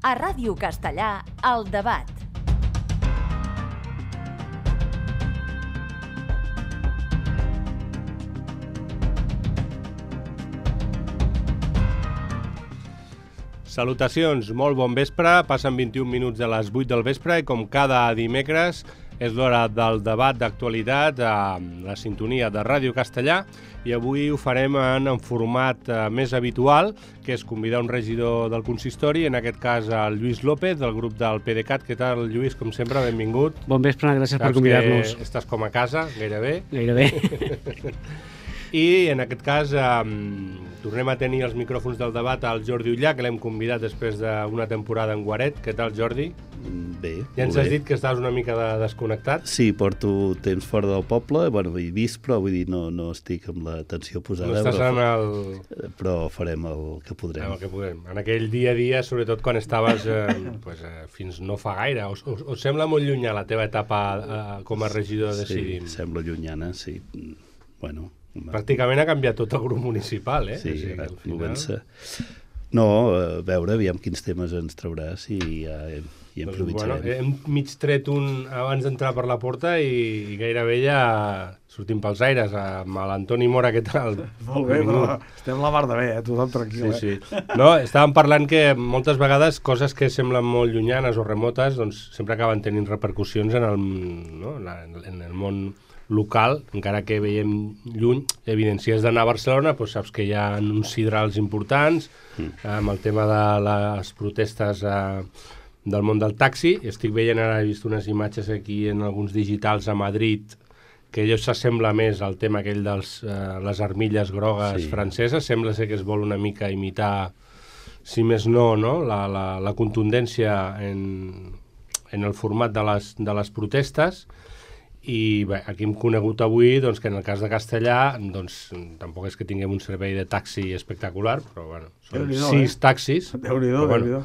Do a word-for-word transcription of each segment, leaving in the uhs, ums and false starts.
A Ràdio Castellà, El Debat. Salutacions, molt bon vespre, passen vint-i-un minuts de les vuit del vespre i com cada dimecres és l'hora del debat d'actualitat a la sintonia de Ràdio Castellà i avui ho farem en, en format eh, més habitual, que és convidar un regidor del consistori, en aquest cas el Lluís López, del grup del P D C A T. Què tal, Lluís? Com sempre, benvingut. Bon vespre, gràcies per convidar-nos. Saps que estàs com a casa, gairebé. Gairebé. I en aquest cas eh, tornem a tenir els micròfons del debat al Jordi Ullà, que l'hem convidat després d'una temporada en Guaret. Què tal, Jordi? Bé, Ja ens molt has bé. dit que estaves una mica de desconnectat. Sí, porto temps fora del poble, bueno, he vist, però vull dir, no, no estic amb l'atenció posada. No estàs però, en el... però farem el que podrem. En el que podem. En aquell dia a dia, sobretot quan estaves eh, pues, eh, fins no fa gaire. Us, us, us sembla molt llunyà la teva etapa eh, com a regidor de Decidim? Sí, sembla llunyana, sí. Bueno... Pràcticament ha canviat tot el grup municipal, eh? Sí, o sigui, ara al final... comença... No, a veure, aviam quins temes ens trauràs i ja hi Doncs, improvisarem. bueno, hem mig tret un abans d'entrar per la porta i, i gairebé ja sortim pels aires amb l'Antoni Mora, què tal? Molt bé, però estem la mar de bé, eh? Tothom tranquil, Sí, eh? sí. No, estàvem parlant que moltes vegades coses que semblen molt llunyanes o remotes doncs sempre acaben tenint repercussions en el, no? en el món local, encara que veiem lluny. Evident, si has d'anar a Barcelona, doncs saps que hi ha uns sidrals importants, mm. amb el tema de les protestes eh, del món del taxi. Estic veient, ara he vist unes imatges aquí en alguns digitals a Madrid, que allò s'assembla més al tema aquell de eh, les armilles grogues Sí. franceses. Sembla ser que es vol una mica imitar, si més no, no? La, la, la contundència en, en el format de les, de les protestes. I bé, aquí hem conegut avui doncs, que en el cas de Castellà doncs, tampoc és que tinguem un servei de taxi espectacular, però bueno, són Déu-n'hi-do, sis eh? taxis. Déu-n'hi-do, Però, Déu-n'hi-do.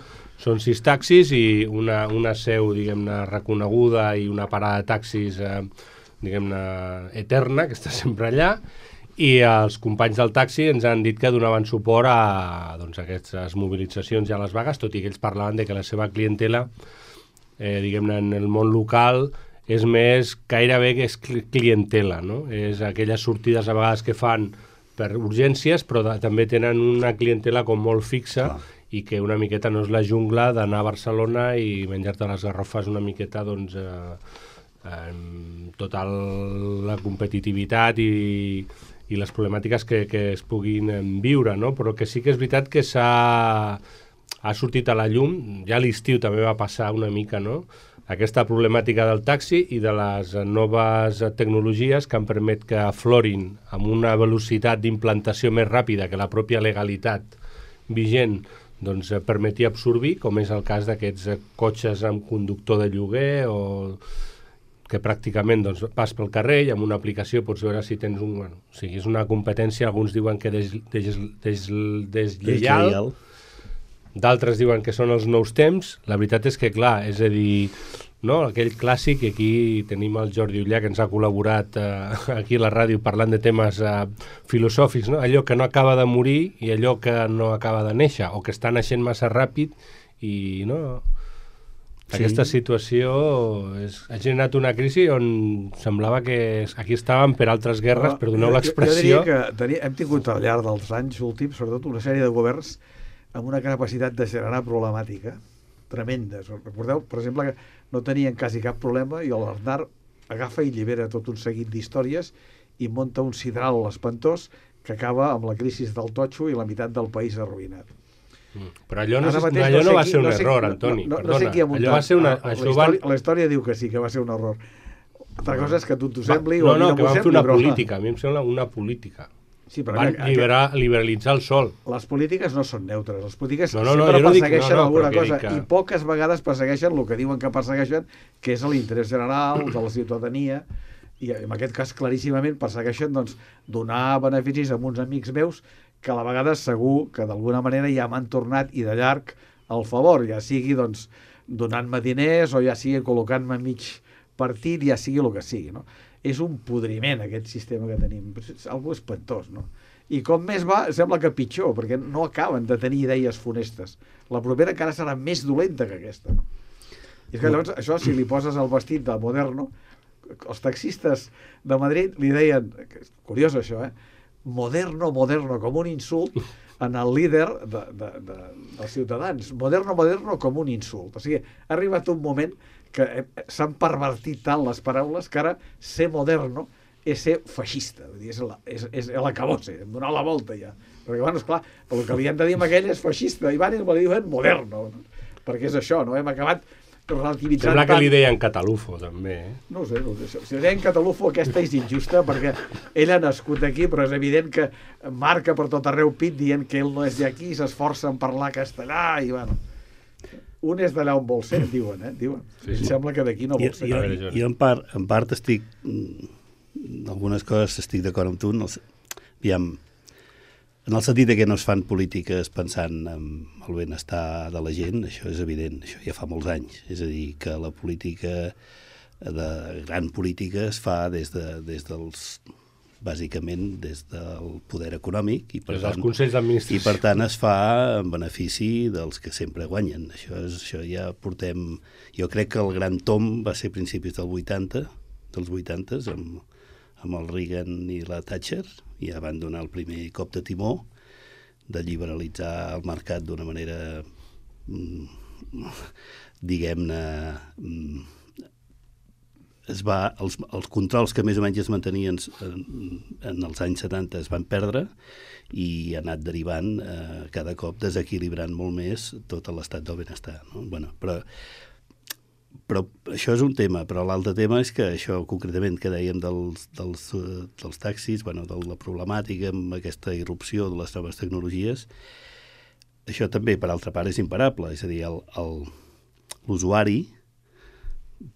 Són sis taxis i una, una seu, diguem-ne, reconeguda i una parada de taxis, eh, diguem-ne, eterna, que està sempre allà, i els companys del taxi ens han dit que donaven suport a, doncs, a aquestes mobilitzacions i a les vagues, tot i que ells parlaven de que la seva clientela, eh, diguem-ne, en el món local és més, gairebé que és clientela, no? És aquelles sortides a vegades que fan per urgències, però de, també tenen una clientela com molt fixa. Clar. I que una miqueta no és la jungla d'anar a Barcelona i menjar-te les garrofes una miqueta, doncs, eh, amb tota la competitivitat i, i les problemàtiques que, que es puguin viure, no? Però que sí que és veritat que s'ha ha sortit a la llum, ja a l'estiu també va passar una mica, no?, aquesta problemàtica del taxi i de les noves tecnologies que han permet que aflorin amb una velocitat d'implantació més ràpida que la pròpia legalitat vigent doncs, permetia absorbir, com és el cas d'aquests cotxes amb conductor de lloguer o que pràcticament doncs, vas pel carrer i amb una aplicació pots veure si tens un... Bueno, o sigui, és una competència, alguns diuen que des, des, des, deslleial, Deslleial. D'altres diuen que són els nous temps. La veritat és que, clar, és a dir, no? Aquell clàssic, aquí tenim el Jordi Ullà, que ens ha col·laborat eh, aquí a la ràdio parlant de temes eh, filosòfics, no? Allò que no acaba de morir i allò que no acaba de néixer, o que està naixent massa ràpid i, no... Sí. Aquesta situació és, ha generat una crisi on semblava que aquí estàvem per altres guerres, per doneu l'expressió. Jo, jo diria que tenia, hem tingut al llarg dels anys últims, sobretot una sèrie de governs amb una capacitat de generar problemàtica tremenda. Recordeu, per exemple, que no tenien quasi cap problema i l'Aznar agafa i llibera tot un seguit d'històries i munta un sidral espantós que acaba amb la crisi del totxo i la meitat del país arruïnat. Mm. Però allò no, Ara mateix allò no, sé va qui- ser un no sé- error, no- Antoni. No, no, Perdona. no sé qui ha muntat. Allò va ser una... La, Això la, van... història, la història diu que sí, que va ser un error. Altra cosa és que a tu t'ho sembli no, o a mi no, no que m'ho van fer sembli, una però... política. A mi em sembla una política. Sí, però Van mira, liberar, liberalitzar el sol. les polítiques no són neutres, les polítiques No, no, no, sempre jo no dic- persegueixen no, no, alguna però que cosa dic que- i poques vegades persegueixen el que diuen que persegueixen, que és l'interès general de la ciutadania, i en aquest cas claríssimament persegueixen doncs, donar beneficis a uns amics meus que a la vegada segur que d'alguna manera ja m'han tornat i de llarg al favor, ja sigui doncs, donant-me diners o ja sigui col·locant-me mig partit, ja sigui el que sigui, no? és un podriment aquest sistema que tenim, és algo espantós, no? I com més va, sembla que pitjor, perquè no acaben de tenir idees funestes. La propera encara serà més dolenta que aquesta, no? I és que llavors, això, si li poses el vestit de Moderno, els taxistes de Madrid li deien, curiós això, eh? Moderno, Moderno, com un insult en el líder de, de, de, dels ciutadans. Moderno, Moderno, com un insult. O sigui, ha arribat un moment que s'han pervertit tant les paraules que ara ser moderno és ser feixista, vull dir, és, la, és, és l'acabose, donar la volta ja. Perquè, bueno, esclar, el que li hem de dir amb aquell és feixista, i van i me li diuen moderno, no? Perquè és això, no? Hem acabat relativitzant Sembla que tant. li deien catalufo, també, eh? No ho sé, no ho sé. Si li deien catalufo, aquesta és injusta, perquè ell ha nascut aquí, però és evident que marca per tot arreu pit dient que ell no és d'aquí, s'esforça en parlar castellà, i bueno... Un és d'allà on vol ser, diuen, eh? Diuen. Sí, sí. Sembla que d'aquí no vol ser. Jo, jo, jo en, part, en part estic... En algunes coses estic d'acord amb tu. En el, aviam, en el sentit que no es fan polítiques pensant en el benestar de la gent, això és evident, això ja fa molts anys. És a dir, que la política, de gran política, es fa des, de, des dels... bàsicament des del poder econòmic i per, tant, i per tant es fa en benefici dels que sempre guanyen. Això, és, això ja portem... Jo crec que el gran tom va ser a principis del vuitanta, dels vuitantes, amb, amb el Reagan i la Thatcher, i ja van donar el primer cop de timó de liberalitzar el mercat d'una manera, diguem-ne... Es va, els, els controls que més o menys es mantenien en, en els anys setanta es van perdre i ha anat derivant eh, cada cop desequilibrant molt més tot l'estat del benestar, no? Bueno, però, però això és un tema, però l'altre tema és que això concretament que dèiem dels, dels, dels taxis, bueno, de la problemàtica amb aquesta irrupció de les noves tecnologies, això també per altra part és imparable, és a dir, el, el, l'usuari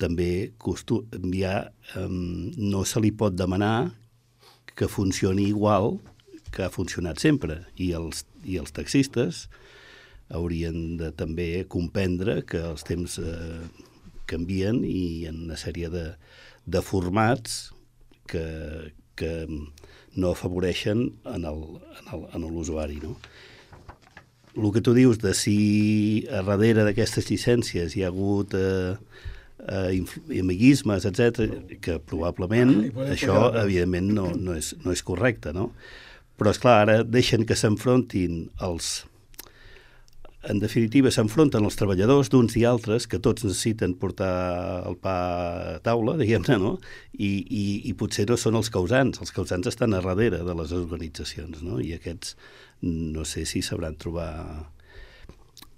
també costu... ja, um, no se li pot demanar que funcioni igual que ha funcionat sempre, i els, i els taxistes haurien de també comprendre que els temps eh, canvien i en una sèrie de, de formats que, que no afavoreixen en el, en el, en l'usuari, no? El que tu dius de si a darrere d'aquestes llicències hi ha hagut... Eh, Uh, amiguismes, etcètera, que probablement ah, això, evidentment, no, no, és, no és correcte, no? Però, esclar, ara deixen que s'enfrontin els... En definitiva, s'enfronten els treballadors d'uns i altres, que tots necessiten portar el pa a taula, diguem-ne, no? I, i, i potser no són els causants. Els causants estan a darrere de les organitzacions, no? I aquests no sé si sabran trobar,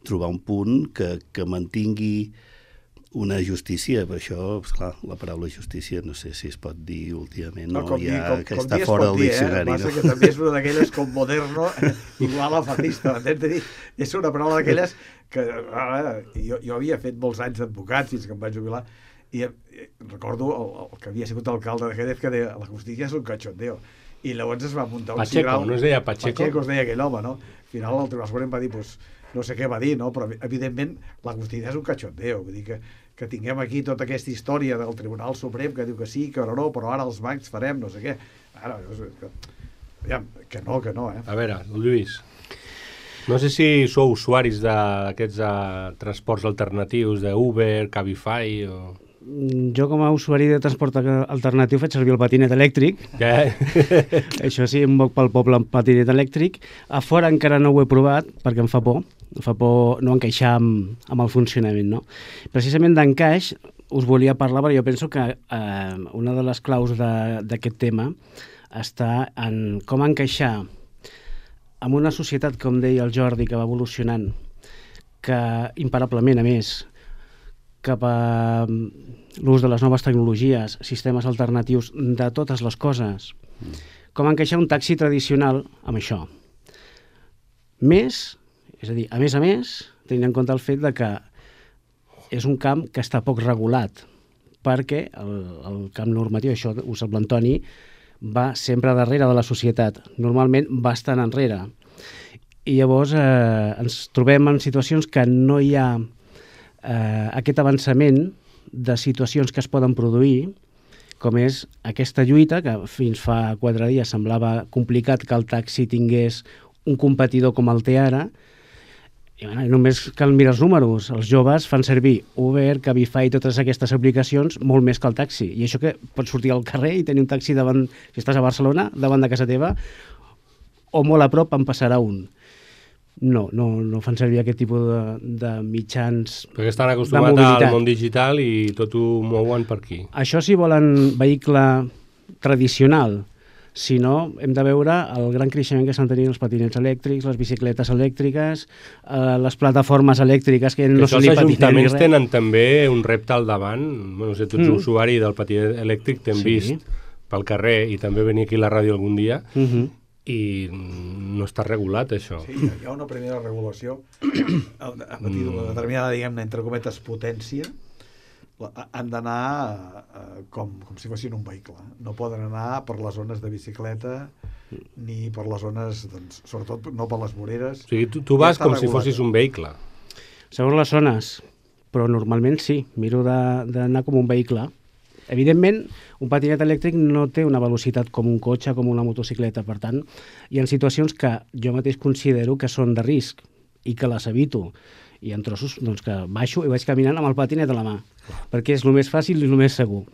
trobar un punt que, que mantingui una justícia, per això, esclar, la paraula justícia no sé si es pot dir últimament, no, no ja, dir, com, que com està fora del diccionari. Eh? Passa no? Que també és una d'aquelles com moderno, eh, igual a fascista, m'entens de dir? És una paraula d'aquelles que ah, jo, jo havia fet molts anys d'advocat fins que em vaig jubilar, i eh, recordo el, el que havia sigut alcalde de Jerez que deia la justícia és un cachondeo, i llavors es va muntar un Pacheco, cigrau. no es deia Pacheco? Pacheco es deia aquell home, no? Al final el Tribunal Suprem va dir, pues, no sé què va dir, no? Però evidentment la justícia és un cachondeo, vull dir que, que tinguem aquí tota aquesta història del Tribunal Suprem que diu que sí, que no, però ara els bancs farem no sé què. Ara, que, aviam, que no, que no, eh? A veure, Lluís, no sé si sou usuaris d'aquests uh, transports alternatius, d'Uber, Cabify o... Jo com a usuari de transport alternatiu faig servir el patinet elèctric. Què? Això sí, em moc pel poble amb patinet elèctric. A fora encara no ho he provat perquè em fa por. Em fa por no encaixar amb, amb el funcionament, no? Precisament d'encaix us volia parlar perquè jo penso que eh, una de les claus d'aquest tema està en com encaixar amb una societat, com deia el Jordi, que va evolucionant, que imparablement, a més, cap a l'ús de les noves tecnologies, sistemes alternatius de totes les coses. Com encaixar un taxi tradicional amb això? Més, és a dir, a més a més, tenint en compte el fet de que és un camp que està poc regulat, perquè el, el camp normatiu, això ho sap l'Antoni, va sempre darrere de la societat, normalment bastant enrere. I llavors eh, ens trobem en situacions que no hi ha Eh, aquest avançament de situacions que es poden produir com és aquesta lluita, que fins fa quatre dies semblava complicat que el taxi tingués un competidor com el té ara, i bueno, només cal mirar els números. Els joves fan servir Uber, Cabify i totes aquestes aplicacions molt més que el taxi. I això que pots sortir al carrer i tenir un taxi davant, si estàs a Barcelona, davant de casa teva, o molt a prop en passarà un. No, no, no fan servir aquest tipus de, de mitjans de mobilitat. Perquè estan acostumats al món digital i tot ho mouen per aquí. Això si volen vehicle tradicional. Si no, hem de veure el gran creixement que estan tenint els patinets elèctrics, les bicicletes elèctriques, eh, les plataformes elèctriques que, que no se li patinen. Els ajuntaments tenen també un repte al davant. No sé, tu ets mm. usuari del patinet elèctric, t'hem sí. vist pel carrer i també venir aquí a la ràdio algun dia. Mm -hmm. I no està regulat, això. Sí, hi ha una primera regulació a partir d'una determinada, diguem-ne, entre cometes, potència, han d'anar com, com si fossin un vehicle. No poden anar per les zones de bicicleta ni per les zones, doncs, sobretot no per les voreres. O sigui, tu, tu vas ja com regulat. Si fossis un vehicle. Segons les zones, però normalment sí, miro d'anar com un vehicle. Evidentment, un patinet elèctric no té una velocitat com un cotxe, com una motocicleta. Per tant, hi ha situacions que jo mateix considero que són de risc i que les evito. I en trossos, doncs, que baixo i vaig caminant amb el patinet a la mà, perquè és el més fàcil i el més segur.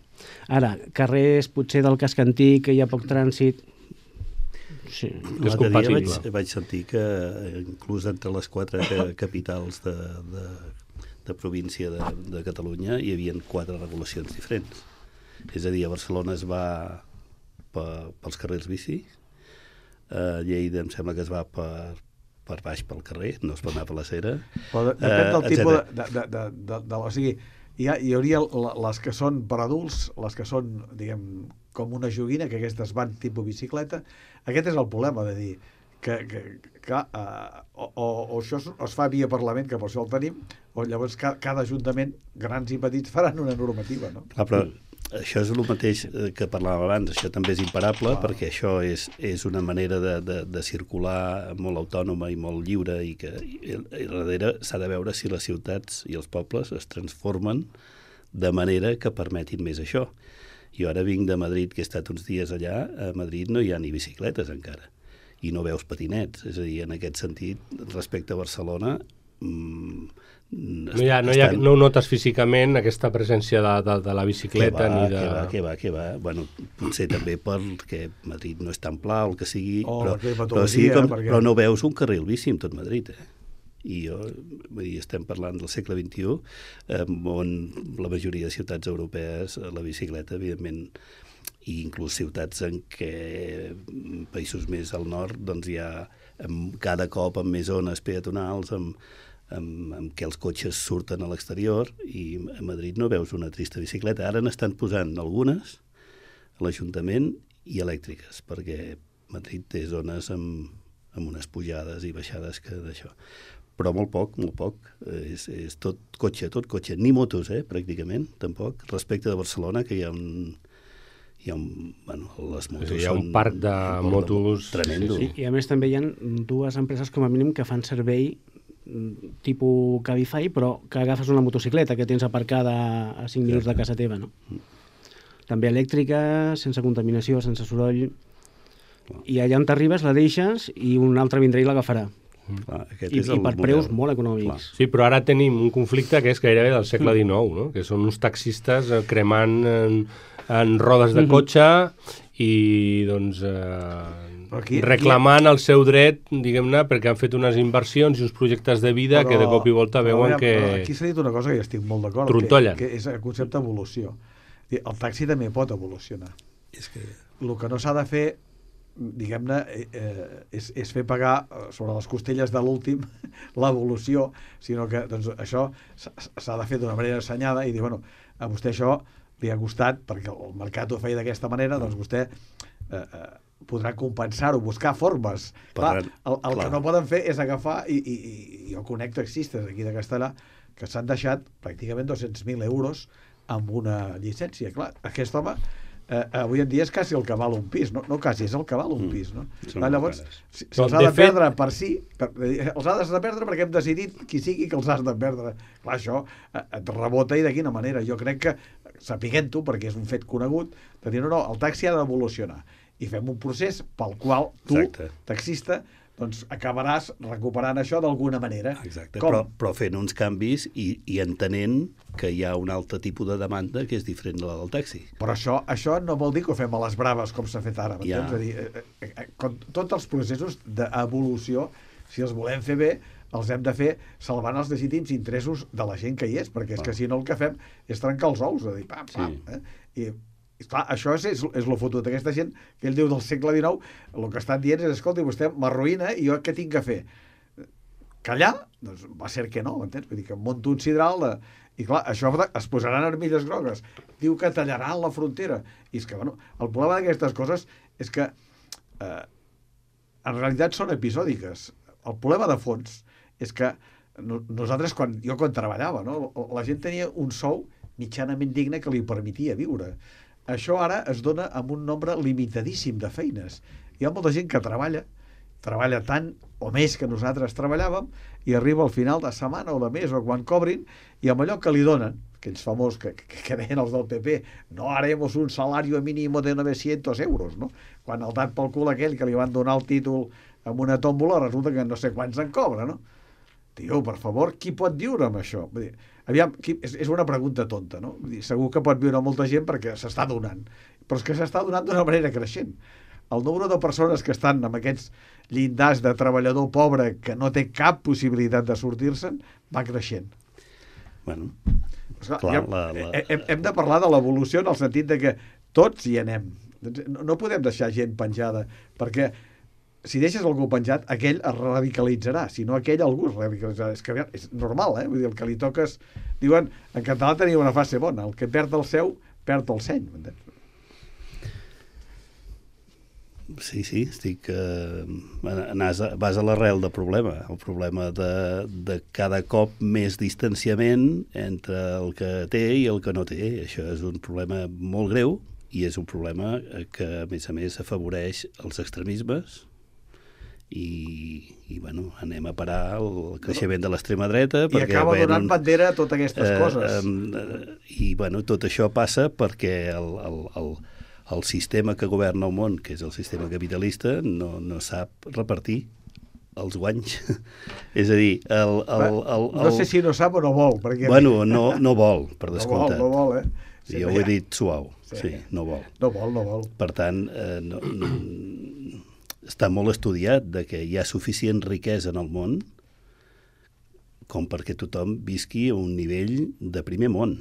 Ara, carrers potser del casc antic, que hi ha poc trànsit... Sí, és compatible. Vaig, vaig sentir que inclús entre les quatre capitals de, de, de província de, de Catalunya hi havia quatre regulacions diferents. És a dir, a Barcelona es va per, pels carrers bici, a Lleida em sembla que es va per, per baix pel carrer, no es pot anar per la cera. Però depèn del uh, tipus de, de, de, de, de... O sigui, hi, ha, hi hauria les que són per adults, les que són, diguem, com una joguina, que aquestes van tipus bicicleta. Aquest és el problema, de dir que, que, que uh, o, o, o això es, es fa via Parlament, que per això el tenim, o llavors ca, cada ajuntament, grans i petits, faran una normativa, no? Clar, però això és el mateix que parlàvem abans, això també és imparable, ah. perquè això és, és una manera de, de, de circular molt autònoma i molt lliure, i que i, i darrere s'ha de veure si les ciutats i els pobles es transformen de manera que permetin més això. Jo ara vinc de Madrid, que he estat uns dies allà, a Madrid no hi ha ni bicicletes encara, i no veus patinets, és a dir, en aquest sentit, respecte a Barcelona... Mmm, No, hi ha, no, hi ha, no ho notes físicament, aquesta presència de, de, de la bicicleta? Que va, ni de... que va, que va, que va. Bueno, potser també perquè Madrid no és tan pla o el que sigui, oh, però, però, sí, com, perquè... però no veus un carril bici en tot Madrid, eh? I jo, vull dir, estem parlant del segle vint-i-u, eh, on la majoria de ciutats europees, la bicicleta, evidentment, i inclús ciutats en què països més al nord, doncs hi ha amb, cada cop amb més zones peatonals, amb Amb, amb què els cotxes surten a l'exterior, i a Madrid no veus una trista bicicleta. Ara n'estan posant algunes a l'Ajuntament i elèctriques, perquè Madrid té zones amb, amb unes pujades i baixades que d'això. Però molt poc, molt poc. És, és tot cotxe, tot cotxe. Ni motos, eh, pràcticament, tampoc. Respecte de Barcelona, que hi ha un... Hi ha un, bueno, les motos hi ha un parc de motos tremendo. Sí, sí. I a més també hi ha dues empreses com a mínim que fan servei tipus Cabify, però que agafes una motocicleta que tens aparcada a cinc minuts de casa teva, no? També elèctrica, sense contaminació, sense soroll, i allà on t'arribes la deixes i un altre vindrà i l'agafarà. Clar, I, i per model. Preus molt econòmics. Clar. Sí, però ara tenim un conflicte que és gairebé del segle dinou, no? Que són uns taxistes cremant en, en rodes de cotxe i doncs eh, aquí, reclamant aquí... el seu dret, diguem-ne, perquè han fet unes inversions i uns projectes de vida però, que de cop i volta veuen que... Aquí s'ha dit una cosa que jo estic molt d'acord, que, que és el concepte d'evolució. El taxi també pot evolucionar. És que el que no s'ha de fer, diguem-ne, eh, és, és fer pagar sobre les costelles de l'últim l'evolució, sinó que doncs, això s'ha de fer d'una manera assenyada i dir, bueno, a vostè això li ha costat, perquè el mercat ho feia d'aquesta manera, doncs vostè eh, eh, podrà compensar-ho, buscar formes. Clar, el, el clar. que no poden fer és agafar, i, i, i jo conec taxistes aquí de Castellà que s'han deixat pràcticament dos-cents mil euros amb una llicència. Clar, aquest home eh, avui en dia és quasi el que val un pis, no, no quasi, és el que val un pis, no? Són Ah, molt llavors, cares. si, si Però, els ha de de fet- perdre per si, per, els has de perdre perquè hem decidit qui sigui que els has de perdre. Clar, això eh, et rebota i de quina manera. Jo crec que, sapiguent-ho, perquè és un fet conegut, de dir, no, no, el taxi ha d'evolucionar i fem un procés pel qual tu, Exacte. taxista, doncs acabaràs recuperant això d'alguna manera. Exacte, Com? però, però fent uns canvis i, i entenent que hi ha un altre tipus de demanda que és diferent de la del taxi. Però això, això no vol dir que ho fem a les braves com s'ha fet ara, m'entens? Ja. És a dir, eh, eh, eh, com tots els processos d'evolució, si els volem fer bé, els hem de fer salvant els legítims interessos de la gent que hi és, perquè és que si no el que fem és trencar els ous, és a dir, pam, pam. Sí. Eh? I, i clar, això és, és, és lo fotut d'aquesta gent que ell diu del segle dinou, el que estan dient és, escolta, vostè m'arruïna i jo què tinc que fer? Callar? Doncs va ser que no, m'entens? Vull dir que monto un sidral de... I clar, això es posaran armilles grogues. Diu que tallaran la frontera. I és que, bueno, el problema d'aquestes coses és que eh, en realitat són episòdiques. El problema de fons és que no, nosaltres, quan, jo quan treballava, no, la gent tenia un sou mitjanament digne que li permetia viure. Això ara es dona amb un nombre limitadíssim de feines. Hi ha molta gent que treballa, treballa tant o més que nosaltres treballàvem i arriba al final de setmana o de mes o quan cobrin i amb allò que li donen, aquells famosos que, que, que deien els del P P, no haremos un salario mínimo de novecientos euros, no? Quan el dat pel cul aquell que li van donar el títol amb una tòmbola resulta que no sé quants en cobra, no? Tio, per favor, qui pot viure amb això? Vull dir, aviam, qui, és, és una pregunta tonta, no? Vull dir, segur que pot viure molta gent perquè s'està donant, però és que s'està donant d'una manera creixent. El número de persones que estan amb aquests llindars de treballador pobre que no té cap possibilitat de sortir-se'n va creixent. Bueno, Esclar, clar, ja, la, la... Hem, hem de parlar de l'evolució en el sentit de que tots hi anem. No, no podem deixar gent penjada, perquè si deixes algú penjat, aquell es radicalitzarà, si no aquell algú es radicalitzarà. És que és normal, eh? Vull dir, el que li toques... Diuen, en català tenia una frase bona, el que perd el seu, perd el seny. M'entens? Sí, sí, estic... Eh, anàs a, vas a l'arrel del problema. El problema de, de cada cop més distanciament entre el que té i el que no té. Això és un problema molt greu i és un problema que, a més a més, afavoreix els extremismes i, i bueno, anem a parar el creixement de l'extrema dreta. I acaba donant bandera a totes aquestes eh, coses. Eh, I, bueno, tot això passa perquè el, el, el, el sistema que governa el món, que és el sistema capitalista, no, no sap repartir els guanys. És a dir, el... el, el, el no sé si no sap o no vol. Perquè... Bueno, no, no vol, per no descomptat. vol, no vol, eh? Sí, jo ho he dit suau. Sí, sí, no vol. No vol, no vol. Per tant, eh, no, no, està molt estudiat de que hi ha suficient riquesa en el món com perquè tothom visqui a un nivell de primer món,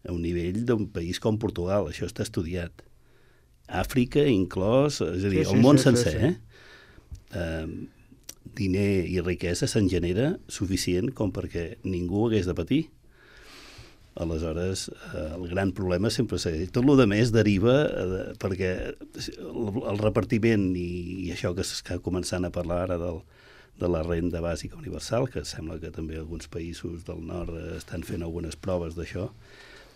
a un nivell d'un país com Portugal. Això està estudiat. Àfrica inclòs, és a dir, sí, sí, el món sí, sencer, sí, sí. eh? eh? Diner i riquesa se'n genera suficient com perquè ningú hagués de patir. Aleshores, eh, el gran problema sempre és tot el més deriva eh, perquè el, el repartiment i, i això que s'està començant a parlar ara del, de la renda bàsica universal, que sembla que també alguns països del nord estan fent algunes proves d'això,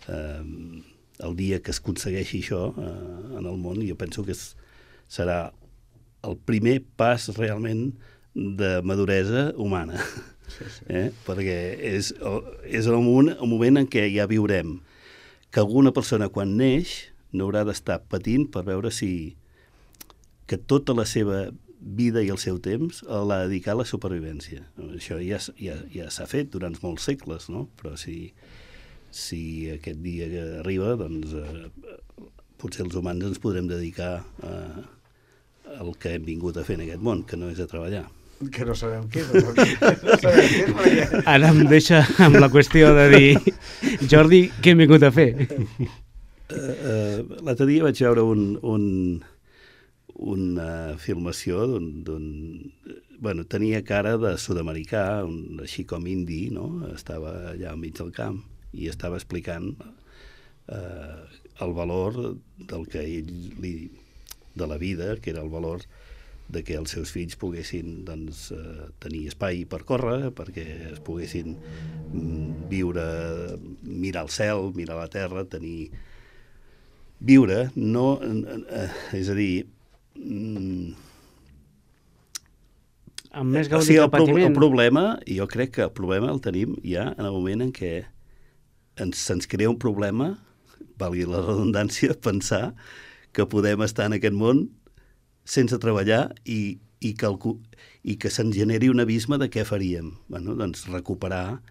eh, el dia que es aconsegueixi això eh, en el món, jo penso que és, serà el primer pas realment de maduresa humana. Sí, sí. Eh? Perquè és, és el, moment, el moment en què ja viurem que alguna persona quan neix no haurà d'estar patint per veure si que tota la seva vida i el seu temps l'ha dedicat a la supervivència. Això ja, ja, ja s'ha fet durant molts segles, no? Però si, si aquest dia que arriba, doncs eh, potser els humans ens podrem dedicar a, al que hem vingut a fer en aquest món, que no és a treballar. Que no sabem què és. No sabem què és perquè... Ara em deixa amb la qüestió de dir Jordi, què hem vingut a fer? Uh, uh, L'altre dia vaig veure un, un, una filmació d'un... Bueno, tenia cara de sud-americà, un, així com indi, no? Estava allà al mig del camp i estava explicant uh, el valor del que ell li, de la vida, que era el valor de que els seus fills poguessin doncs, eh, tenir espai per córrer, perquè es poguessin mm, viure, mirar el cel, mirar la terra, tenir viure, no... Eh, és a dir... Mm, amb més o gaudi sigui, que el, pro patiment. el problema, jo crec que el problema el tenim ja en el moment en què ens, se'ns crea un problema, valgui la redundància, pensar que podem estar en aquest món sense treballar i, i, que, el, i que se'n generi un abisme de què faríem. Bueno, doncs recuperar...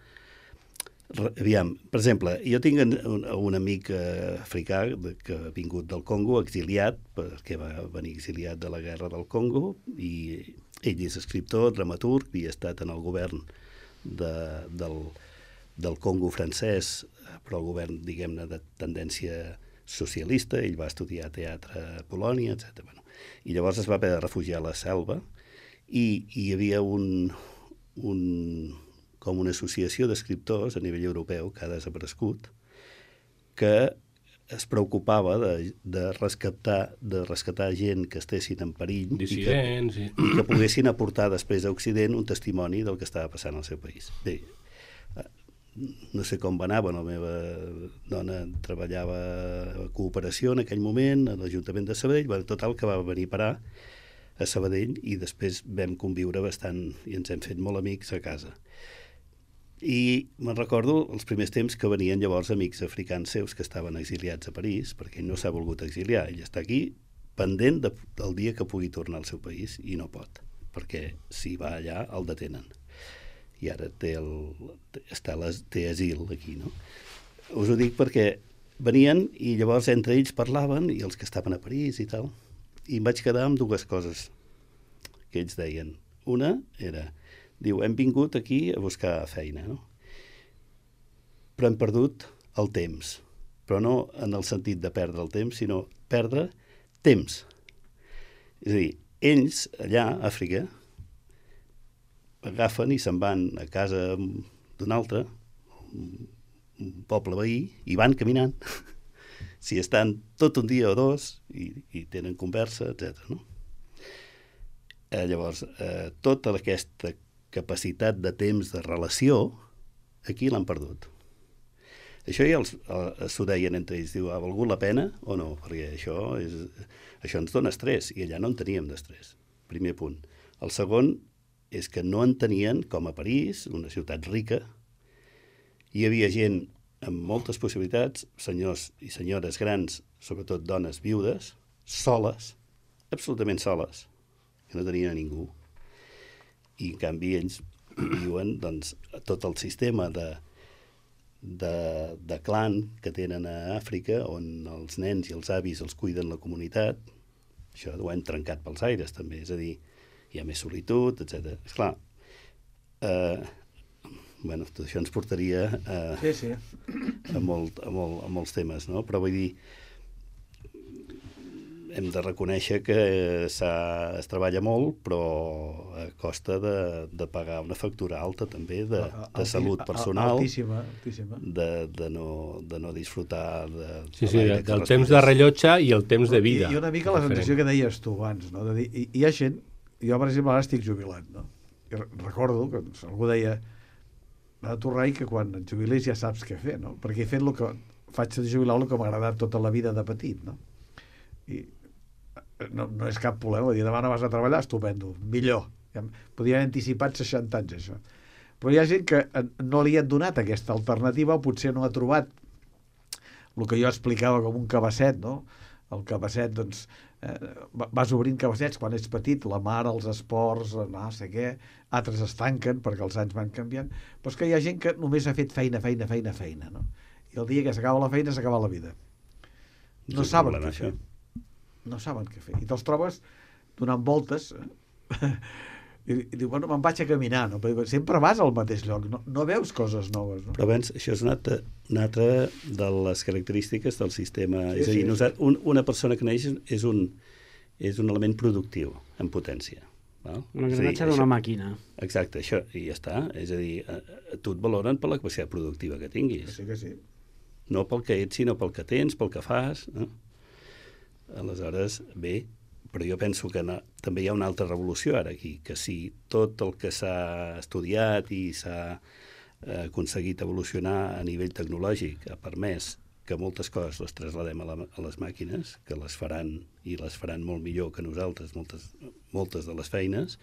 Re, aviam, per exemple, jo tinc un, un amic eh, africà que ha vingut del Congo, exiliat, perquè va venir exiliat de la guerra del Congo, i ell és escriptor, dramaturg, i ha estat en el govern de, del, del Congo francès, però el govern, diguem-ne, de tendència socialista. Ell va estudiar teatre a Polònia, etcètera. Bueno, i llavors es va haver de refugiar a la selva i, i hi havia un, un, com una associació d'escriptors a nivell europeu que ha desaparegut, que es preocupava de, de, rescatar, de rescatar gent que estessin en perill dissidents, i, que, i que poguessin aportar després a Occident un testimoni del que estava passant al seu país. Bé, no sé com va anar, la meva dona treballava a cooperació en aquell moment, a l'Ajuntament de Sabadell, bueno, total que va venir a parar a Sabadell i després vam conviure bastant i ens hem fet molt amics a casa. I me'n recordo els primers temps que venien llavors amics africans seus que estaven exiliats a París, perquè ell no s'ha volgut exiliar, ell està aquí pendent de, del dia que pugui tornar al seu país i no pot, perquè si va allà el detenen. I ara té, el, està les, té asil aquí, no? Us ho dic perquè venien i llavors entre ells parlaven, i els que estaven a París i tal, i em vaig quedar amb dues coses que ells deien. Una era, diu, hem vingut aquí a buscar feina, no? Però hem perdut el temps, però no en el sentit de perdre el temps, sinó perdre temps. És a dir, ells allà, a Àfrica, agafen i se'n van a casa d'un altre, un poble veí, i van caminant. Si estan tot un dia o dos i, i tenen conversa, etcètera. No? Eh, llavors, eh, tota aquesta capacitat de temps de relació, aquí l'han perdut. Això ja els, eh, s'ho deien entre ells, diu, ha valgut la pena o no? Perquè això, és, això ens dona estrès, i allà no en teníem d'estrès. Primer punt. El segon és que no en tenien, com a París, una ciutat rica, hi havia gent amb moltes possibilitats, senyors i senyores grans, sobretot dones viudes, soles, absolutament soles, que no tenien a ningú. I en canvi ells viuen doncs, tot el sistema de, de, de clan que tenen a Àfrica, on els nens i els avis els cuiden la comunitat. Això ho hem trencat pels aires també, és a dir, hi ha més solitud, etcètera. Esclar, eh, bueno, tot això ens portaria a, sí, sí. a, molt, a, molt, a molts temes, no? Però vull dir, hem de reconèixer que es treballa molt, però a costa de, de pagar una factura alta també de, de salut personal, altíssima, altíssima. De, de, no, de no disfrutar de, sí, sí, de, del temps de rellotge i el temps de vida. I, i una mica la sensació que deies tu abans, no? De dir, hi, hi ha gent, jo per exemple ara estic jubilat, no? I recordo que algú deia a tu, Rai, que quan et jubilis ja saps què fer, no? Perquè he fet el que faig de jubilar el que m'ha agradat tota la vida de petit, no? I no, no és cap problema, dir demà no vas a treballar, estupendo, millor. Ja podia haver anticipat seixanta anys, això. Però hi ha gent que no li han donat aquesta alternativa, o potser no ha trobat el que jo explicava com un cabasset, no? El cabasset, doncs, eh, vas obrint cabassets quan ets petit, la mar, els esports, no sé què, altres es tanquen perquè els anys van canviant, però és que hi ha gent que només ha fet feina, feina, feina, feina, no? I el dia que s'acaba la feina, s'acaba la vida. No saben què fer. No saben què fer. I te'ls trobes donant voltes i, i diu, bueno, me'n vaig a caminar, no? Però sempre vas al mateix lloc, no, no veus coses noves, no? Però abans, això és una altra, una altra de les característiques del sistema. Sí, és a dir, sí, nosaltres, un, una persona que neix és un, és un element productiu, en potència. Val? Un engranatge d'una màquina. Exacte, això, i ja està. És a dir, a, a tu et valoren per la capacitat productiva que tinguis. Que sí, que sí. No pel que ets, sinó pel que tens, pel que fas. No? Aleshores, bé, però jo penso que no, també hi ha una altra revolució ara aquí, que si tot el que s'ha estudiat i s'ha eh, aconseguit evolucionar a nivell tecnològic ha permès que moltes coses les trasladem a, la, a les màquines, que les faran i les faran molt millor que nosaltres, moltes, moltes de les feines,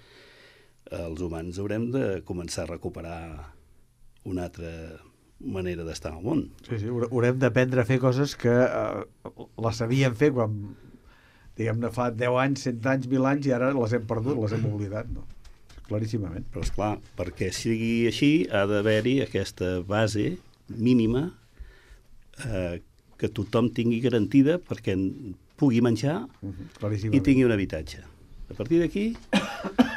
els humans haurem de començar a recuperar una altra manera d'estar al món. Sí, sí, haurem d'aprendre a fer coses que eh, les sabíem fer quan, diguem-ne, fa deu anys, cent anys, mil anys, i ara les hem perdut, les hem oblidat, no? Claríssimament. Però, esclar, perquè sigui així, ha d'haver-hi aquesta base mínima eh, que tothom tingui garantida perquè pugui menjar uh-huh, i tingui un habitatge. A partir d'aquí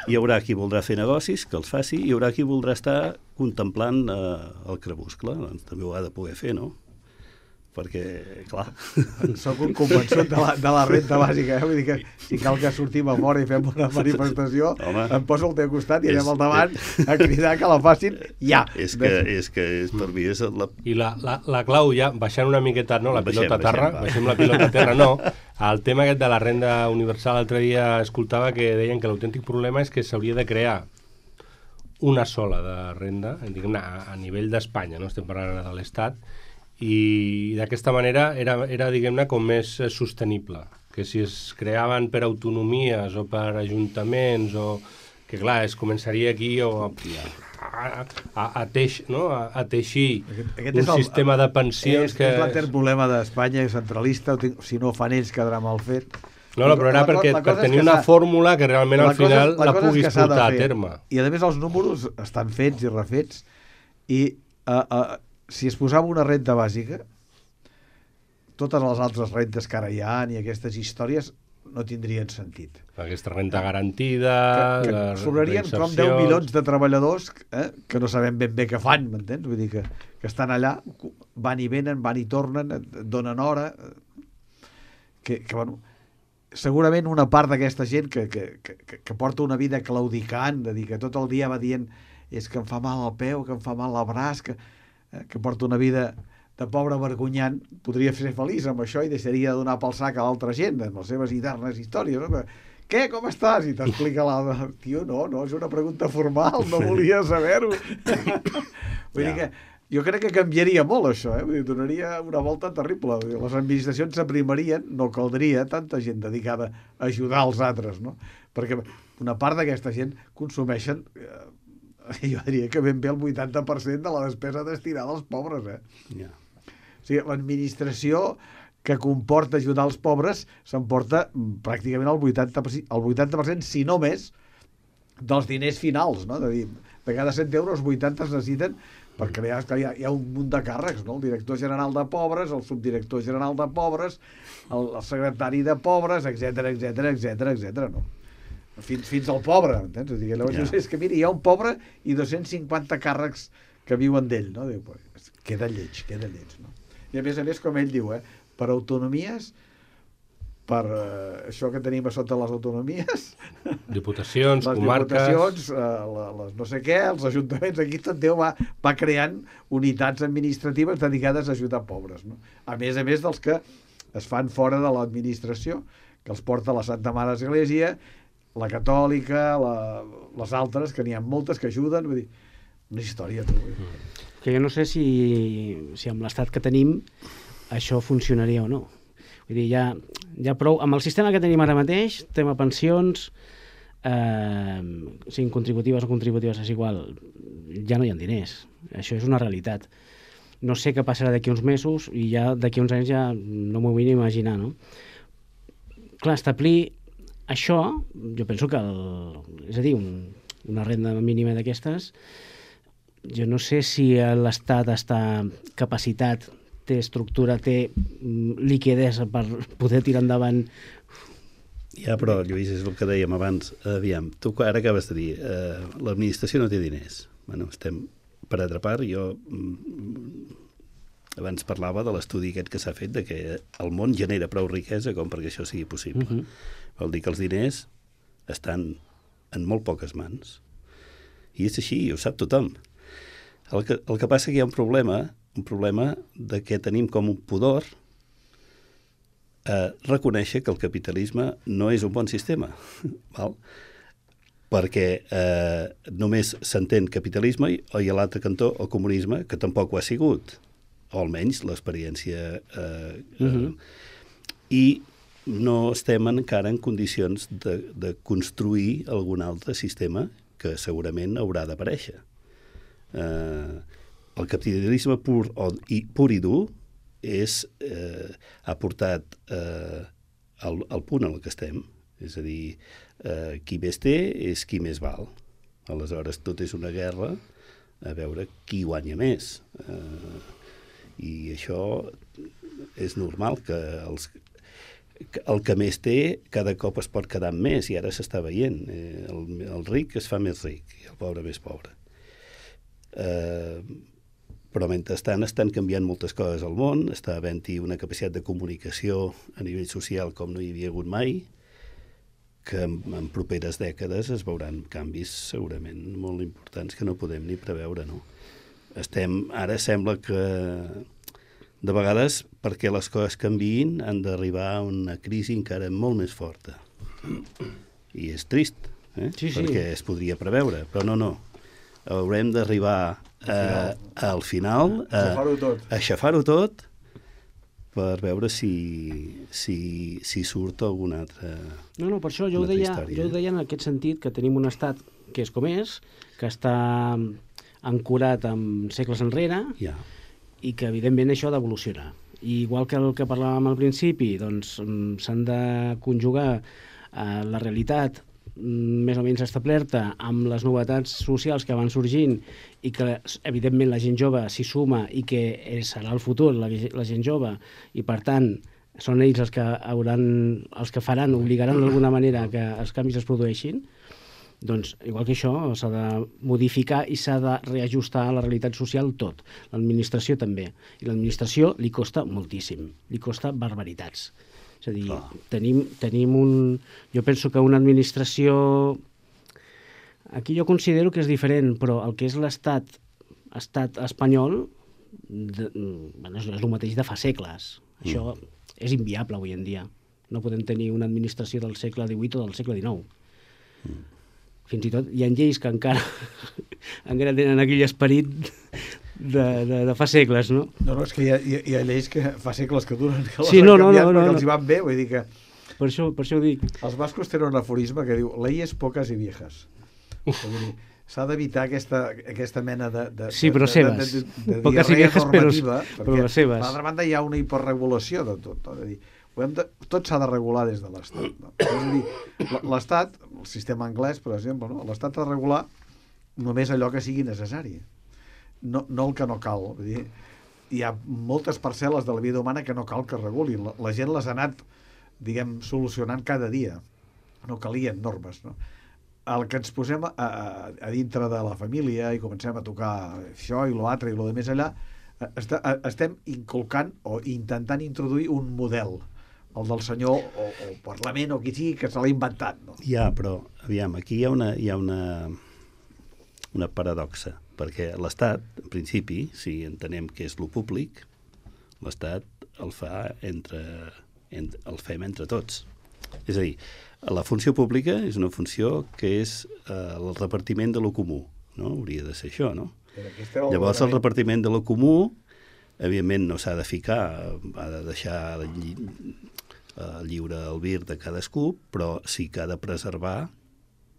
hi haurà qui voldrà fer negocis, que els faci, i hi haurà qui voldrà estar contemplant eh, el crepuscle. Doncs també ho ha de poder fer, no? Perquè, clar... Soc un convençut de la, de la renta bàsica, eh? Vull dir que si cal que sortim a fora i fem una manifestació, home, em poso al teu costat i anem al davant a cridar que la facin ja. És que, és que és, per mi és la... I la, la, la clau ja, baixant una miqueta, no, la baixem, pilota a terra, baixem, baixem la pilota a terra, no. El tema aquest de la renda universal, l'altre dia escoltava que deien que l'autèntic problema és que s'hauria de crear una sola de renda, diguem-ne, a, a nivell d'Espanya, no estem parlant de l'Estat, i d'aquesta manera era, era diguem-ne, com més sostenible, que si es creaven per autonomies o per ajuntaments, o que clar, es començaria aquí o a, a, a, teix, no? a, a teixir aquest, aquest un el, sistema de pensions és, que... És l'altre problema d'Espanya, centralista, si no ho fan ells quedarà mal fet. No, no, però era perquè, per tenir una fórmula que realment al final la, la puguis portar a terme. I a més els números estan fets i refets, i uh, uh, si es posava una renta bàsica, totes les altres rentes que ara hi ha i aquestes històries no tindrien sentit. Aquesta renta garantida... Que, que sobrarien com deu milions de treballadors eh, que no sabem ben bé què fan, m'entens? Vull dir que, que estan allà, van i venen, van i tornen, donen hora... Que, que bueno, segurament una part d'aquesta gent que, que, que, que porta una vida claudicant, de dir que tot el dia va dient és que em fa mal el peu, que em fa mal el braç, que... que porta una vida de pobre vergonyant, podria ser feliç amb això i deixaria de donar pel sac a l'altra gent, amb les seves eternes històries. No? Què, com estàs? I t'explica l'altre. Tio, no, no, és una pregunta formal, no volia saber-ho. Vull dir que jo crec que canviaria molt això, eh? Vull dir, donaria una volta terrible. Les administracions s'aprimarien, no caldria tanta gent dedicada a ajudar els altres, no? Perquè una part d'aquesta gent consumeixen... Eh, jo diria que ben bé el vuitanta per cent de la despesa destinada als pobres, eh? Yeah. O sigui, l'administració que comporta ajudar els pobres s'emporta pràcticament el vuitanta per cent, el vuitanta per cent, si no més, dels diners finals, no? De dir, de cada cent euros, vuitanta es necessiten per crear... Que hi ha, hi ha un munt de càrrecs, no? El director general de pobres, el subdirector general de pobres, el, el secretari de pobres, etcètera, etcètera, etcètera, etcètera, no? Fins, fins al pobre, entens? O sigui, llavors, yeah. És que, mira, hi ha un pobre i dos-cents cinquanta càrrecs que viuen d'ell, no? Diu, pues, queda lleig, queda lleig, no? I a més a més, com ell diu, eh, per autonomies, per eh, això que tenim a sota les autonomies... Diputacions, les comarques... Les diputacions, eh, les no sé què, els ajuntaments, aquí tot Déu va, va creant unitats administratives dedicades a ajudar pobres, no? A més a més dels que es fan fora de l'administració, que els porta la Santa Mare Església, la catòlica, la, les altres, que n'hi ha moltes que ajuden, vull dir, una història, tu. Que jo no sé si, si amb l'estat que tenim això funcionaria o no. Vull dir, ja, ja prou... Amb el sistema que tenim ara mateix, tema pensions, eh, siguin contributives o contributives, és igual, ja no hi ha diners. Això és una realitat. No sé què passarà d'aquí uns mesos i ja d'aquí uns anys ja no m'ho vull ni imaginar, no? Clar, establir això, jo penso que, el, és a dir, un, una renda mínima d'aquestes, jo no sé si l'Estat està capacitat, té estructura, té liquidesa per poder tirar endavant. Ja, però, Lluís, és el que dèiem abans. Aviam, tu ara acabes de dir, eh, l'administració no té diners. Bueno, estem per altra part, jo abans parlava de l'estudi aquest que s'ha fet de que el món genera prou riquesa com perquè això sigui possible. Uh-huh. Vol dir que els diners estan en molt poques mans. I és així, ho sap tothom. El que, el que passa que hi ha un problema, un problema de que tenim com un pudor a reconèixer que el capitalisme no és un bon sistema. Val? Perquè eh, només s'entén capitalisme i, i a l'altre cantó el comunisme, que tampoc ho ha sigut. o almenys l'experiència... Eh, Uh -huh. eh, I no estem encara en condicions de, de construir algun altre sistema que segurament haurà d'aparèixer. Eh, el capitalisme pur, o, i, pur i dur és, eh, ha portat eh, al, al punt en el que estem. És a dir, eh, qui més té és qui més val. Aleshores, tot és una guerra a veure qui guanya més. Eh, I això és normal, que els, el que més té cada cop es pot quedar amb més, i ara s'està veient. Eh, el, el ric es fa més ric i el pobre més pobre. Eh, però mentrestant estan canviant moltes coses al món, està havent-hi una capacitat de comunicació a nivell social com no hi havia hagut mai, que en, en properes dècades es veuran canvis segurament molt importants que no podem ni preveure, no? Estem, ara sembla que de vegades, perquè les coses canviïn, han d'arribar a una crisi encara molt més forta. I és trist, eh? Sí, sí. Perquè es podria preveure, però no, no. Haurem d'arribar a, al final a Aixafar-ho tot. a aixafar-ho tot per veure si, si, si surt alguna altra... No, no, per això jo ho, una altra deia, història. jo ho deia en aquest sentit, que tenim un estat que és com és, que està ancorat amb segles enrere, Ja. i que evidentment això ha d'evolucionar. I igual que el que parlàvem al principi, doncs mm, s'han de conjugar eh, la realitat mm, més o menys establerta amb les novetats socials que van sorgint i que evidentment la gent jove s'hi suma i que serà el futur, la, la gent jove, i per tant són ells els que hauran, els que faran, obligaran d'alguna manera que els canvis es produeixin. Doncs, igual que això, s'ha de modificar i s'ha de reajustar a la realitat social tot. L'administració també. I l'administració li costa moltíssim. Li costa barbaritats. És a dir, Ah. tenim, tenim un... Jo penso que una administració... Aquí jo considero que és diferent, però el que és l'estat estat espanyol de, bueno, és el mateix de fa segles. Això mm. és inviable avui en dia. No podem tenir una administració del segle divuit o del segle dinou. Mm. Fins i tot hi ha lleis que encara encara tenen aquell esperit de, de, de fa segles, no? No, no, és que hi ha, hi ha, hi ha lleis que fa segles que duren, que les Sí, han no, no, canviat no, no, perquè no. els hi van bé, vull dir que Per això, per això ho dic. els bascos tenen un aforisme que diu leyes pocas y viejas. Vull dir, s'ha d'evitar aquesta, aquesta mena de, de, Sí, però de, seves. de, de, de Poques i diarrea viejas, però- normativa, però les seves. per altra banda hi ha una hiperregulació de tot. No? És a dir, ho hem de, tot s'ha de regular des de l'Estat. No? És a dir, l- l'Estat, el sistema anglès, per exemple, no? l'Estat ha de regular només allò que sigui necessari, no, no el que no cal. Vull dir, hi ha moltes parcel·les de la vida humana que no cal que regulin. La, la gent les ha anat, diguem, solucionant cada dia. No calien normes, no? El que ens posem a, a, a dintre de la família i comencem a tocar això i l'altre i lo de més allà, est estem inculcant o intentant introduir un model, el del senyor o, o Parlament o qui sigui que se l'ha inventat, no? Ja, però, aviam, aquí hi ha una, hi ha una, una paradoxa, perquè l'Estat, en principi, si entenem que és lo públic, l'Estat el fa entre, entre, el fem entre tots. És a dir, la funció pública és una funció que és eh, el repartiment de lo comú, no? Hauria de ser això, no? Llavors el repartiment de lo comú, evidentment no s'ha de ficar, ha de deixar lli eh, lliure el vir de cadascú, però sí que ha de preservar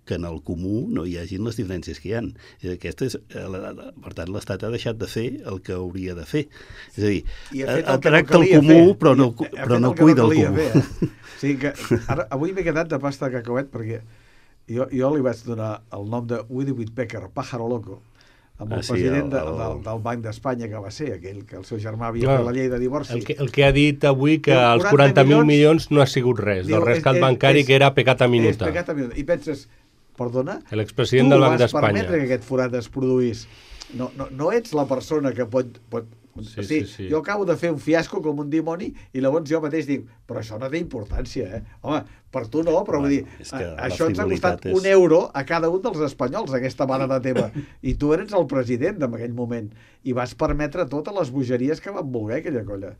que en el comú no hi hagin les diferències que hi ha. Aquesta és, eh, la, la, per tant, l'Estat ha deixat de fer el que hauria de fer. És a dir, I ha ha, fet ha el que no tracta el calia comú, fer. però no, I ha però fet no el que cuida el calia comú. fer, eh? O sigui que ara, avui m'he quedat de pasta de cacauet perquè jo, jo li vaig donar el nom de Woody Woodpecker, Pájaro Loco, amb el Ah, sí, president el- de, el- del, del Banc d'Espanya que va ser, aquell que el seu germà havia Clar. fet la llei de divorci. El que, el que ha dit avui que Diu, els quaranta quaranta mil milions, milions no ha sigut res, Diu, del rescat és- és- bancari és- que era pecat a És minuta. pecat a minuta. I penses, perdona, L'expresident tu del Banc vas d'Espanya. permetre que aquest forat es produís. No, no, no ets la persona que pot... pot Sí, o sigui, sí, sí. Jo acabo de fer un fiasco com un dimoni i llavors jo mateix dic, però això no té importància, eh? Home, per tu no, però vull dir, és que a- la això ens ha costat frivolitat és- un euro a cada un dels espanyols, aquesta mare teva. I tu eres el president en aquell moment. I vas permetre totes les bogeries que van voler aquella colla.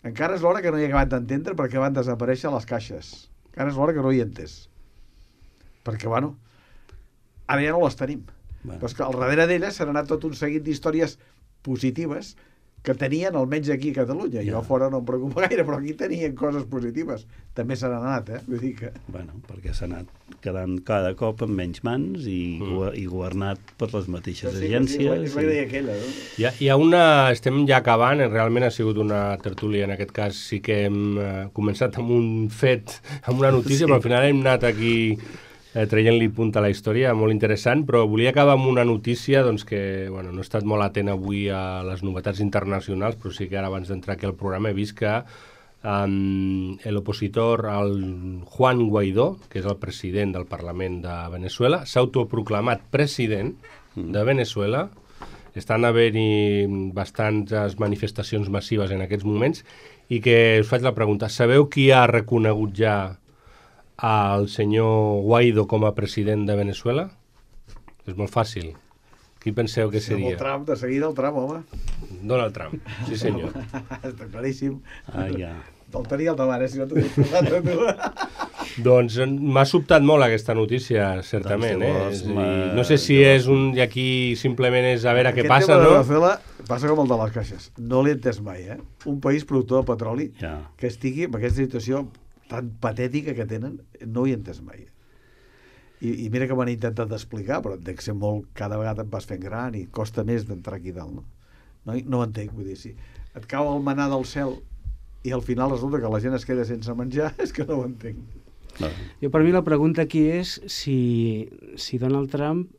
Encara és l'hora que no he acabat d'entendre perquè van desaparèixer les caixes. Encara és l'hora que no hi he entès. Perquè, bueno, ara ja no les tenim. Bueno. Però és que al darrere d'elles s'han anat tot un seguit d'històries positives que tenien almenys aquí a Catalunya. Jo fora no em preocupa gaire, però aquí tenien coses positives. També se n'han anat, eh? Vull dir que... Bueno, perquè s'ha anat quedant cada cop amb menys mans i, mm. i governat per les mateixes sí, agències. Sí, és la idea aquella, no? Hi ha, hi ha una... Estem ja acabant, realment ha sigut una tertúlia, en aquest cas sí que hem eh, començat amb un fet, amb una notícia, sí. Però al final hem anat aquí... Eh, traient-li punt a la història, molt interessant, però volia acabar amb una notícia doncs, que bueno, no he estat molt atent avui a les novetats internacionals, però sí que ara abans d'entrar aquí al programa he vist que um, l'opositor, el Juan Guaidó, que és el president del Parlament de Venezuela, s'ha autoproclamat president de Venezuela. Estan haver-hi bastantes manifestacions massives en aquests moments i que us faig la pregunta, sabeu qui ha reconegut ja al senyor Guaidó com a president de Venezuela? És molt fàcil. Qui penseu que seria? El Trump, de seguida el Trump, home. Donald Trump, sí senyor. Està claríssim. Ah, ja. El tenia al davant, eh, si no t'ho dius posat a tu. Doncs m'ha sobtat molt aquesta notícia, certament. Doncs, eh? la... No sé si és un... I aquí simplement és a veure què Aquest passa, tema no? de Venezuela passa com el de les caixes. No l'he entès mai, eh? Un país productor de petroli Ja. que estigui en aquesta situació tan patètica que tenen, no ho he entès mai. I, i mira que m'han intentat explicar, però dec ser molt, cada vegada et vas fent gran i costa més d'entrar aquí dalt, no? No, no ho entenc, vull dir, si et cau el manà del cel i al final resulta que la gent es queda sense menjar, és que no ho entenc. No. Jo, per mi la pregunta aquí és si, si Donald Trump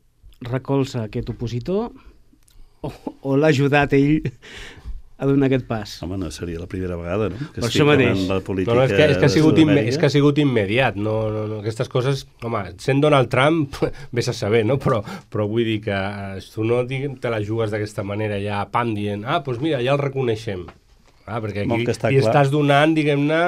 recolza aquest opositor o, o l'ha ajudat ell a donar aquest pas. Home, no seria la primera vegada, no? Que per això mateix. La política no, no, és, que, és, que ha sigut imme, Sud-amèrica. és que ha sigut immediat. No, no, no, aquestes coses, home, sent Donald Trump, vés a saber, no? Però, però vull dir que eh, tu no diguem, te la jugues d'aquesta manera ja, pam, dient, ah, doncs mira, ja el reconeixem. Ah, perquè aquí li estàs donant, diguem-ne,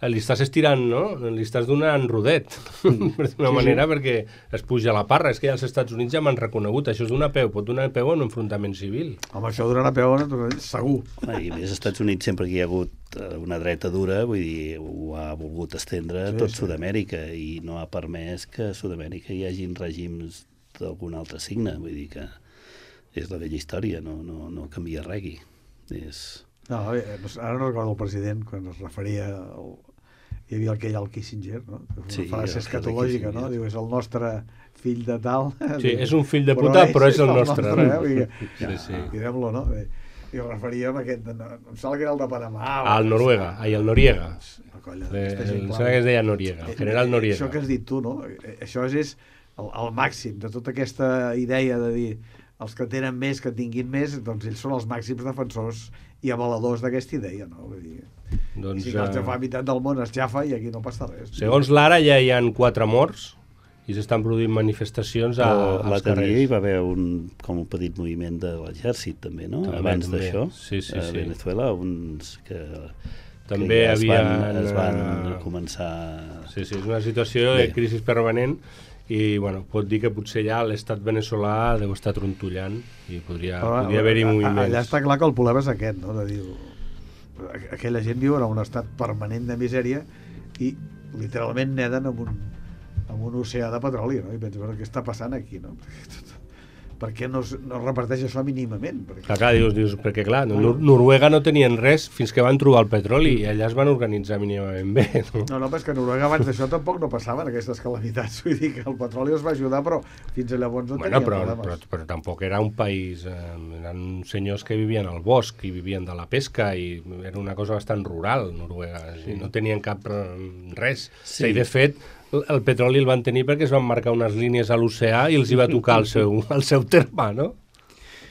li estàs estirant, no? Li estàs donant rodet, mm. d'una sí, manera, sí. perquè es puja a la parra. És que ja els Estats Units ja m'han reconegut. Això és donar peu, pot donar peu en un enfrontament civil. Home, això donarà peu en un segur. Home, i més als Estats Units, sempre que hi ha hagut una dreta dura, vull dir, ho ha volgut estendre sí, tot sí. Sud-amèrica i no ha permès que a Sud-amèrica hi hagin règims d'algun altre signe. Vull dir que és la vella història, no, no, no canvia res aquí. És... No, ara no recordo el president quan es referia al... hi havia aquell al Kissinger, no? Una sí, frase escatològica, no? Diu, és el nostre fill de tal... Sí, és un fill de puta, però, però és el, el nostre. nostre eh? Vull dir, sí, sí. Direm-lo, no? I ho referia a aquest... No, em sembla que era el de Panamà. Al Noruega, ai, el Noriega. La colla, de, el, sembla que es deia Noriega, el general Noriega. Això que has dit tu, no? Això és el, el màxim de tota aquesta idea de dir els que tenen més, que tinguin més, doncs ells són els màxims defensors i avaladors d'aquesta idea, no? Vull dir, doncs, si els de fa meitat del món es jafa i aquí no passa res. Segons l'ara ja hi ha quatre morts i s'estan produint manifestacions a, als carrers. L'altre hi va haver un, com un petit moviment de l'exèrcit també, no? També, abans també. d'això, sí, sí, a sí. Venezuela, uns que, també que ja havia, es van, es van començar... Sí, sí, és una situació Bé. de crisi permanent i bueno, pot dir que potser ja l'estat veneçolà deu estar trontollant i podria, Però, podria haver-hi moviments. Allà està clar que el problema és aquest, no? De dir, aquella gent viu en un estat permanent de misèria i literalment neden en un, en un oceà de petroli, no? I penso, bueno, què està passant aquí, no? Per què no es, no es reparteix això mínimament? Perquè... Clar, clar, dius, dius, perquè clar, no, Noruega no tenien res fins que van trobar el petroli i allà es van organitzar mínimament bé. No, no, no però és que Noruega abans d'això tampoc no passaven aquestes calamitats. Vull dir que el petroli els va ajudar, però fins a llavors no bueno, tenien però, problemes. Però, però tampoc era un país... Eh, eren senyors que vivien al bosc i vivien de la pesca i era una cosa bastant rural, Noruega. Sí. No tenien cap res. Sí. I de fet... el petroli el van tenir perquè es van marcar unes línies a l'oceà i els hi va tocar el seu, el seu terme, no?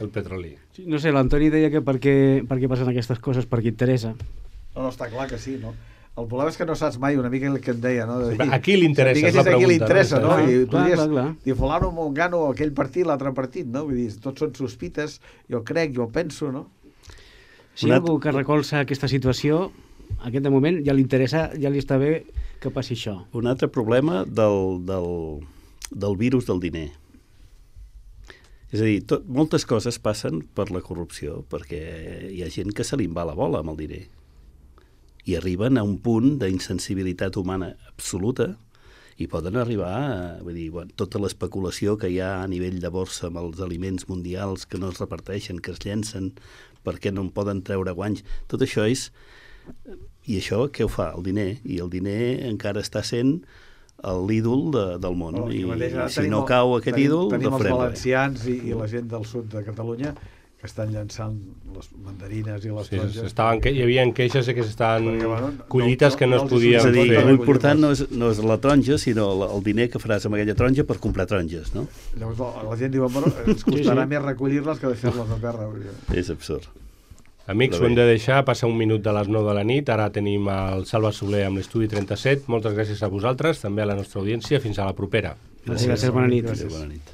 El petroli. No sé, l'Antoni deia que per què, per què passen aquestes coses, perquè interessa. No, no, està clar que sí, no? El problema és que no saps mai una mica el que em deia, no? De dir, a qui li interessa, si és la pregunta. A qui li interessa, no? no? I clar, podries clar, clar. dir, fulano gano aquell partit, l'altre partit, no? Vull dir, tots són sospites, jo crec, jo penso, no? Si hi ha algú que recolza aquesta situació, en aquest moment ja li interessa, ja li està bé que passi això. Un altre problema del, del, del virus del diner. És a dir, tot, moltes coses passen per la corrupció, perquè hi ha gent que se li en va la bola amb el diner. I arriben a un punt d'insensibilitat humana absoluta i poden arribar a, vull dir, bueno, tota l'especulació que hi ha a nivell de borsa amb els aliments mundials que no es reparteixen, que es llencen perquè no en poden treure guanys, tot això és... I això què ho fa? El diner. I el diner encara està sent l'ídol de, del món. Oh, I, mateix, i si tenim, no cau aquest tenim, ídol, tenim no els farem valencians i, i la gent del sud de Catalunya que estan llançant les mandarines i les Sí, taronges. estaven, que, hi havia queixes que s'estaven Perquè, bueno, no- collites que no, no- es no els hi podien És a dir, fer. l'important no és, no és la taronja, sinó el diner que faràs amb aquella taronja per comprar taronges, no? Llavors la, la gent diu, bueno, ens costarà sí, sí. més recollir-les que deixar-les a terra. És absurd. Amics, ho hem de deixar, passa un minut de les nou de la nit, ara tenim el Salva Soler amb l'Estudi trenta-set, moltes gràcies a vosaltres, també a la nostra audiència, fins a la propera. Gràcies, gràcies, bona nit. Gràcies. Bona nit.